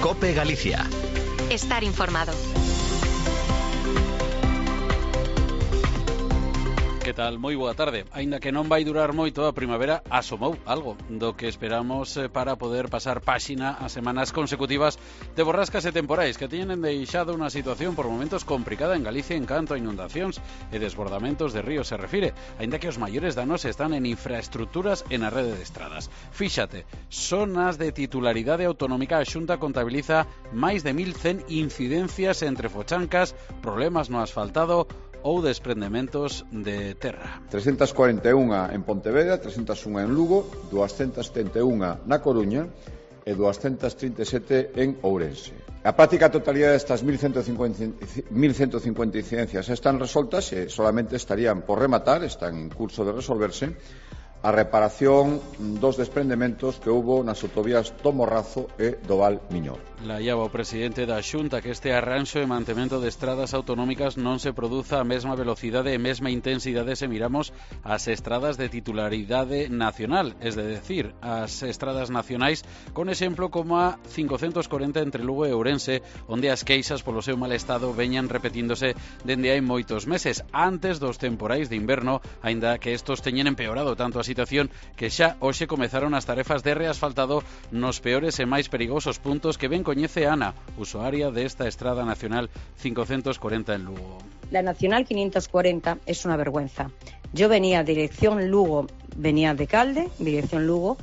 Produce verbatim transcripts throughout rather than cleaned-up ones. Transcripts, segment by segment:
COPE Galicia. Estar informado. Que tal? Moi boa tarde. Aínda que non vai durar moito, a primavera asomou algo do que esperamos para poder pasar páxina a semanas consecutivas de borrascas e temporais que teñen deixado unha situación por momentos complicada en Galicia en canto a inundacións e desbordamentos de ríos se refire, aínda que os maiores danos están en infraestructuras e na rede de estradas. Fíxate, son as de titularidade autonómica. A Xunta contabiliza máis de mil cen incidencias entre fochancas, problemas no asfaltado ou desprendementos de terra. trescentas cuarenta e unha en Pontevedra, trescentas unha en Lugo, duascentas setenta e unha na Coruña e duascentas trinta e sete en Ourense. A práctica totalidade destas mil ciento cincuenta incidencias están resoltas e solamente estarían por rematar, están en curso de resolverse, a reparación dos desprendementos que houbo nas autovías do Morrazo e do Val Miñor. La llava o presidente da Xunta que este arranxo e mantemento de estradas autonómicas non se produza a mesma velocidade e mesma intensidade se miramos as estradas de titularidade nacional, es de decir, as estradas nacionais, con exemplo como a cincocentos corenta entre Lugo e Ourense, onde as queixas polo seu mal estado veñan repetíndose dende hai moitos meses, antes dos temporais de inverno, aínda que estos teñen empeorado tanto a situación que xa hoxe comezaron as tarefas de reasfaltado nos peores e máis perigosos puntos que ben coñece Ana, usuaria desta estrada nacional cincocentos corenta en Lugo. La nacional quinientos cuarenta es una vergüenza. Yo venía dirección Lugo, venía de Calde, dirección Lugo.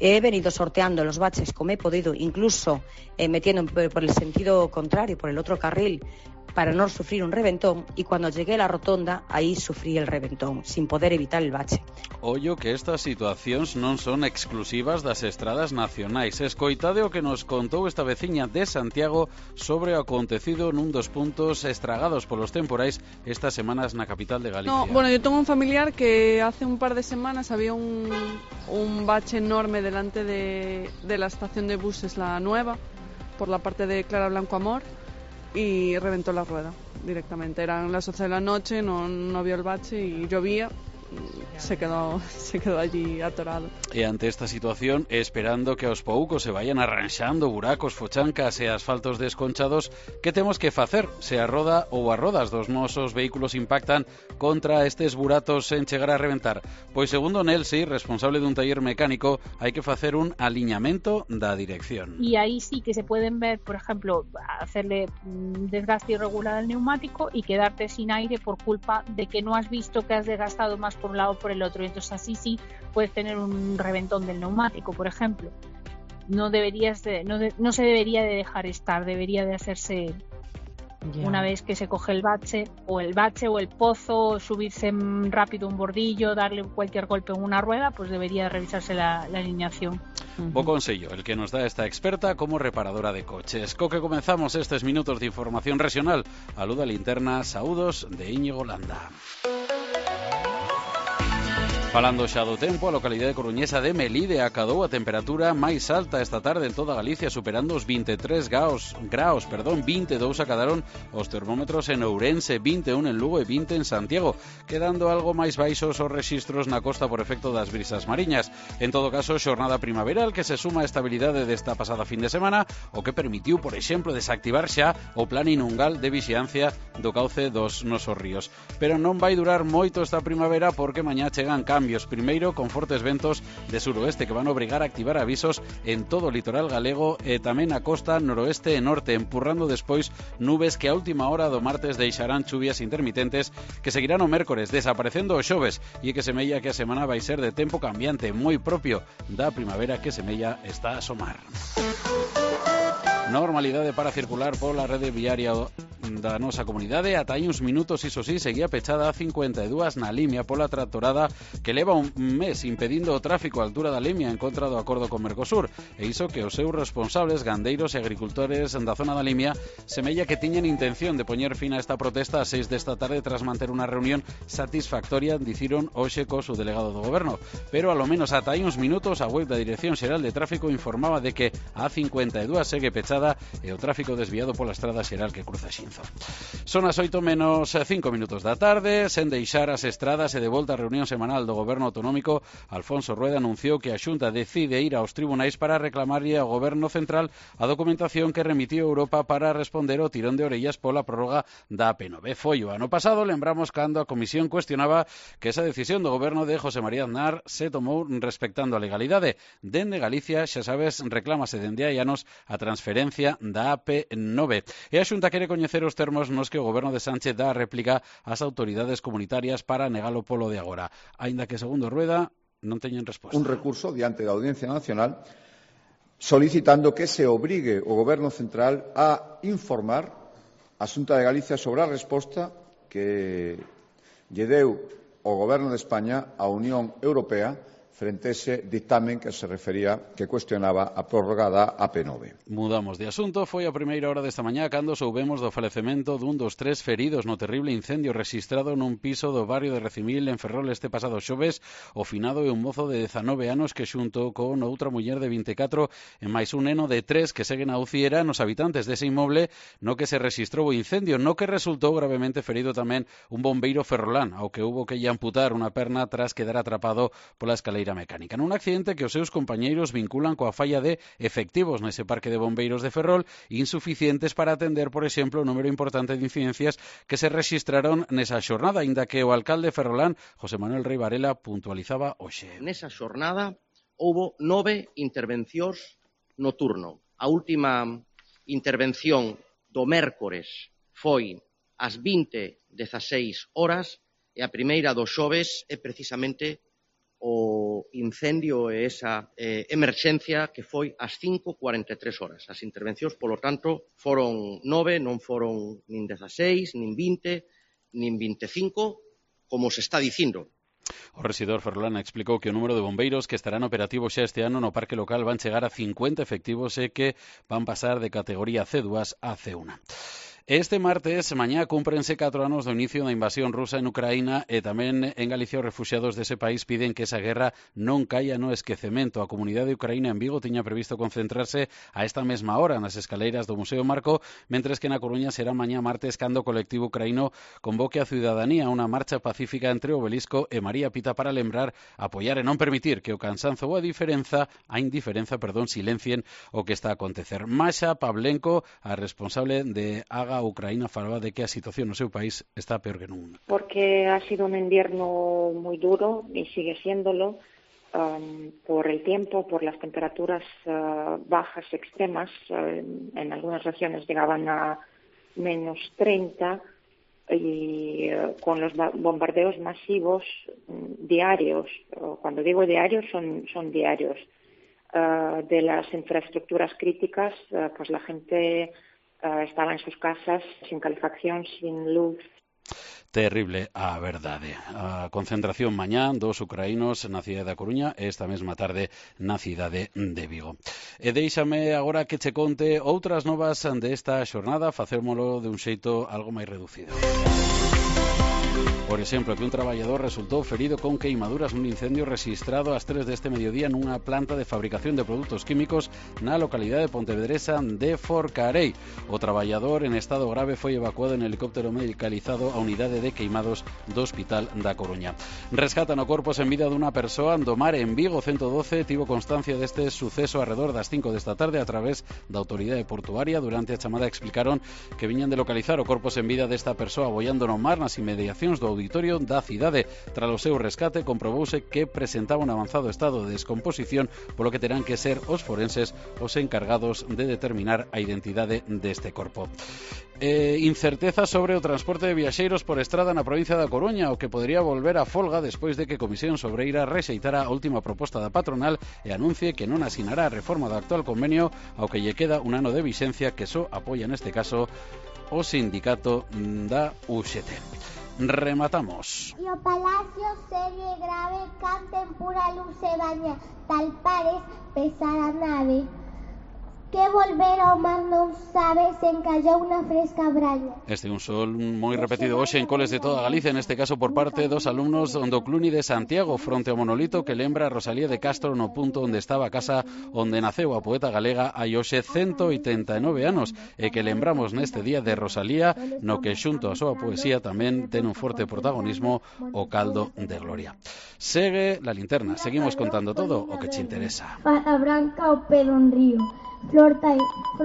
He venido sorteando los baches como he podido, incluso eh, metiendo por el sentido contrario, por el otro carril, para no sufrir un reventón, y cuando llegué a la rotonda, ahí sufrí el reventón, sin poder evitar el bache. Ollo que estas situacións non son exclusivas das estradas nacionais. Escoitade o que nos contou esta veciña de Santiago sobre o acontecido nun dos puntos estragados polos temporais estas semanas na capital de Galicia. No, bueno, yo tengo un familiar que hace un par de semanas había un, un bache enorme delante de, de la estación de buses La Nueva, por la parte de Clara Blanco Amor, y reventó la rueda directamente. Eran las once de la noche, no, no vio el bache y llovía. Se quedó, se quedó allí atorado. E ante esta situación, esperando que aos poucos se vayan arranxando buracos, fochancas e asfaltos desconchados, que temos que facer se a roda ou as rodas dos nosos vehículos impactan contra estes buratos en chegar a reventar? Pois segundo Nelsi, responsable dun taller mecánico, hai que facer un aliñamento da dirección. Y ahí sí que se pueden ver, por ejemplo, hacerle desgaste irregular al neumático y quedarte sin aire por culpa de que no has visto que has desgastado más por un lado o por el otro, y entonces así sí puedes tener un reventón del neumático, por ejemplo. No deberías de, no, de, no se debería de dejar estar, debería de hacerse yeah. Una vez que se coge el bache, o el bache o el pozo, subirse rápido un bordillo, darle cualquier golpe en una rueda, pues debería revisarse la, la alineación. Uh-huh. Bo consello, el que nos da esta experta como reparadora de coches. Co que comenzamos estes minutos de información regional. Aluda linterna, saúdos de Íñigo Landa. Falando xa do tempo, a localidade coruñesa de Melide acadou a temperatura máis alta esta tarde en toda Galicia, superando os vinte e tres graus, graus, perdón, vinte e dous acadaron os termómetros en Ourense, vinte e un en Lugo e vinte en Santiago, quedando algo máis baixos os rexistros na costa por efecto das brisas mariñas. En todo caso, xornada primaveral que se suma a estabilidade desta pasada fin de semana, o que permitiu, por exemplo, desactivar xa o plan inungal de vixiancia do cauce dos nosos ríos. Pero non vai durar moito esta primavera porque mañá chegan cambios. Primeiro, con fortes ventos de suroeste que van a obrigar a activar avisos en todo o litoral galego e tamén a costa noroeste e norte, empurrando despois nubes que a última hora do martes deixarán chuvias intermitentes que seguirán o mércores, desaparecendo o xoves, e que semella que a semana vai ser de tempo cambiante, moi propio da primavera que semella está a asomar. Normalidade para circular pola rede viaria da nosa comunidade. Ata hai uns minutos, iso sí, seguía pechada a cincuenta e dúas na Limia pola tractorada que leva un mes impedindo o tráfico á altura da Limia en contra do acordo con Mercosur, e iso que os seus responsables, gandeiros e agricultores da zona da Limia, semella que tiñen intención de poñer fin a esta protesta a seis desta tarde tras manter unha reunión satisfactoria, diciron hoxe co su delegado do goberno. Pero alo menos ata hai uns minutos a web da Dirección Xeral de Tráfico informaba de que a cincuenta e dúas segue pechada e o tráfico desviado pola estrada xeral que cruza Xinzo. Lorenzo. Son as oito menos cinco minutos da tarde, sen deixar as estradas e de volta á reunión semanal do Goberno Autonómico, Alfonso Rueda anunciou que a Xunta decide ir aos tribunais para reclamarlle ao Goberno Central a documentación que remitiu Europa para responder ao tirón de orellas pola prórroga da A P nove. Foi o ano pasado, lembramos, cando a Comisión cuestionaba que esa decisión do Goberno de José María Aznar se tomou respectando a legalidade. Dende Galicia, xa sabes, reclámase dende hai anos a transferencia da A P nove. E a Xunta quere coñecer os termos nos que o Goberno de Sánchez dá a réplica ás autoridades comunitarias para negalo polo de agora. Aínda que, segundo Rueda, non teñen resposta. Un recurso diante da Audiencia Nacional solicitando que se obrigue o Goberno Central a informar a Xunta de Galicia sobre a resposta que lle deu o Goberno de España á Unión Europea frente a ese dictamen que se refería, que cuestionaba a prórroga da A P nove. Mudamos de asunto. Foi a primeira hora desta mañá cando soubemos do falecemento dun dos tres feridos no terrible incendio rexistrado nun piso do barrio de Recimil en Ferrol este pasado xoves. O finado é un mozo de dezanove anos que xunto con outra muller de vinte e catro e máis un neno de tres que seguen a U C I era nos habitantes dese inmoble no que se rexistrou o incendio, no que resultou gravemente ferido tamén un bombeiro ferrolán, ao que hubo que lle amputar unha perna tras quedar atrapado pola escaleira mecánica. Nun accidente que os seus compañeiros vinculan coa falla de efectivos nese parque de bombeiros de Ferrol, insuficientes para atender, por exemplo, o número importante de incidencias que se rexistraron nesa xornada, aínda que o alcalde ferrolán, José Manuel Rei Varela, puntualizaba hoxe. Nesa xornada houbo nove intervencións no turno. A última intervención do mércores foi ás vinte dezaseis horas e a primeira do xoves é precisamente o incendio e esa eh, emerxencia que foi ás cinco cuarenta e tres horas. As intervencións, polo tanto, foron nove, non foron nin dezaseis, nin vinte, nin vinte e cinco, como se está dicindo. O rexedor ferrolán explicou que o número de bombeiros que estarán operativos xa este ano no parque local van chegar a cincuenta efectivos e que van pasar de categoría C dúas a C uno. Este martes, mañá, cúmprense catro anos do inicio da invasión rusa en Ucraína e tamén en Galicia os refuxiados dese país piden que esa guerra non caia no esquecemento. A comunidade de Ucraína en Vigo tiña previsto concentrarse a esta mesma hora nas escaleiras do Museo Marco, mentres que na Coruña será mañá martes cando o colectivo ucraíno convoque a ciudadanía a unha marcha pacífica entre o Obelisco e María Pita para lembrar, apoiar e non permitir que o cansanzo ou a diferenza, a indiferenza, perdón, silencien o que está a acontecer. Masha Pavlenko, a responsable de Haga a Ucraína, falaba de que a situación no seu país está peor que nunca. Porque ha sido un invierno muy duro y sigue siéndolo um, por el tiempo, por las temperaturas uh, bajas extremas. Uh, en algunas regiones llegaban a menos treinta y uh, con los bombardeos masivos um, diarios. Uh, cuando digo diarios son, son diarios. Uh, de las infraestructuras críticas, uh, pues la gente Uh, estaba en sus casas sin calefacción, sin luz. Terrible a verdade. A concentración mañá dos ucraínos na cidade da Coruña e esta mesma tarde na cidade de Vigo. E deixame agora que che conte outras novas desta xornada, facémolo de un xeito algo máis reducido. Por exemplo, que un traballador resultou ferido con queimaduras nun incendio rexistrado ás tres deste mediodía nunha planta de fabricación de produtos químicos na localidade pontevedresa de Forcarei. O traballador en estado grave foi evacuado en helicóptero medicalizado á unidade de queimados do Hospital da Coruña. Rescatan o corpo sen vida dunha persoa do mar en Vigo. ciento doce tivo constancia deste suceso arredor das cinco desta tarde a través da autoridade portuaria. Durante a chamada explicaron que viñan de localizar o corpo sen vida desta persoa boiando no mar nas inmediacións do auditorio da cidade. Tras o seu rescate comprobouse que presentaba un avanzado estado de descomposición, polo que terán que ser os forenses os encargados de determinar a identidade deste corpo. Eh, incerteza sobre o transporte de viaxeiros por estrada na provincia da Coruña, o que podría volver a folga despois de que Comisión Sobreira rexeitara a última proposta da patronal e anuncie que non asinará a reforma do actual convenio, ao que lle queda un ano de vixencia que só apoia neste caso o sindicato da U X T. Rematamos. E o Palacio segue grave canten pura luz e baña, tal pares pesar a nave. que volver ao mar non sabe se encallou unha fresca braña. Este é un sol moi repetido hoxe en coles de toda Galicia, neste caso por parte dos alumnos do Cluni de Santiago, fronte ao monolito que lembra a Rosalía de Castro no punto onde estaba a casa onde naceu a poeta galega hai hoxe ciento oitenta e nove anos, e que lembramos neste día de Rosalía, no que xunto a súa poesía tamén ten un forte protagonismo o caldo de Gloria. Segue la linterna, seguimos contando todo o que che interesa. A branca o pelo en río, flor tai